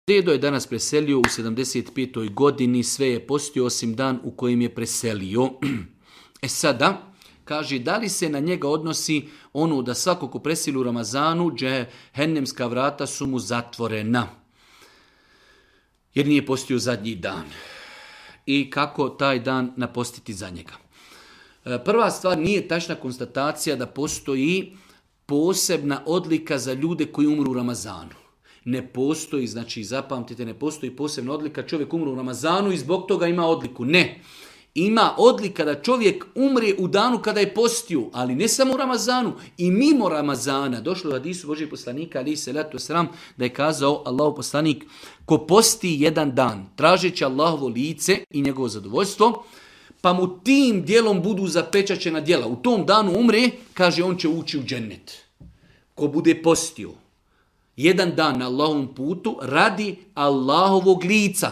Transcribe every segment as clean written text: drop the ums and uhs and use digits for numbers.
Dedo je danas preselio u 75. godini, sve je postio osim dan u kojem je preselio. Sada, kaže, da li se na njega odnosi ono da svako ko preseli u Ramazanu, džehennemska vrata su mu zatvorena, jer nije postio zadnji dan. I kako taj dan napostiti za njega. Prva stvar, nije tačna konstatacija da postoji posebna odlika za ljude koji umru u Ramazanu. Ne postoji, znači zapamtite, ne postoji posebna odlika, čovjek umru u Ramazanu i zbog toga ima odliku. Ne. Ima odlika da čovjek umre u danu kada je postio, ali ne samo u Ramazanu, i mimo Ramazana. Došlo u hadisu Božijeg poslanika, ali se letu sram, da je kazao Allahov poslanik, ko posti jedan dan, tražeći Allahovo lice i njegovo zadovoljstvo, pa mu tim dijelom budu zapečaćena djela. U tom danu umre, kaže, on će ući u džennet. Ko bude postio jedan dan na Allahovom putu radi Allahovog lica,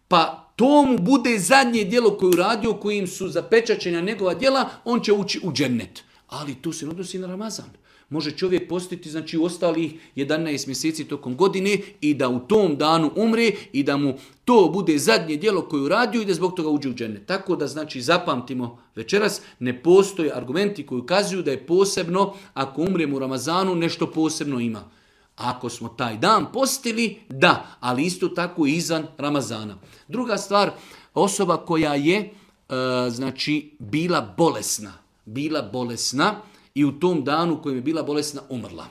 pa to mu bude zadnje djelo koje uradio, kojim su zapečaćena njegova djela, on će ući u džennet. Ali tu se odnosi na Ramazan. Može čovjek postiti, znači, u ostalih 11 mjeseci tokom godine i da u tom danu umre i da mu to bude zadnje djelo koje uradio i da zbog toga uđe u džennet. Tako da, znači, zapamtimo večeras, ne postoje argumenti koji ukazuju da je posebno, ako umremo u Ramazanu, nešto posebno ima. Ako smo taj dan postili, da, ali isto tako i izvan Ramazana. Druga stvar, osoba koja je znači bila bolesna i u tom danu u kojem je bila bolesna umrla.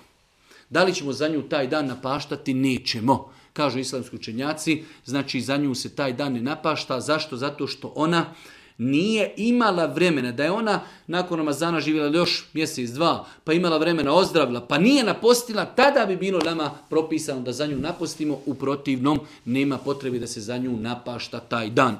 Da li ćemo za nju taj dan napaštati? Nećemo. Kažu islamski učenjaci, znači za nju se taj dan ne napašta. Zašto? Zato što ona nije imala vremena, da je ona nakon Ramazana živjela još mjesec, dva, pa imala vremena, ozdravila, pa nije napostila, tada bi bilo nama propisano da za nju napostimo, u protivnom nema potrebe da se za nju napašta taj dan.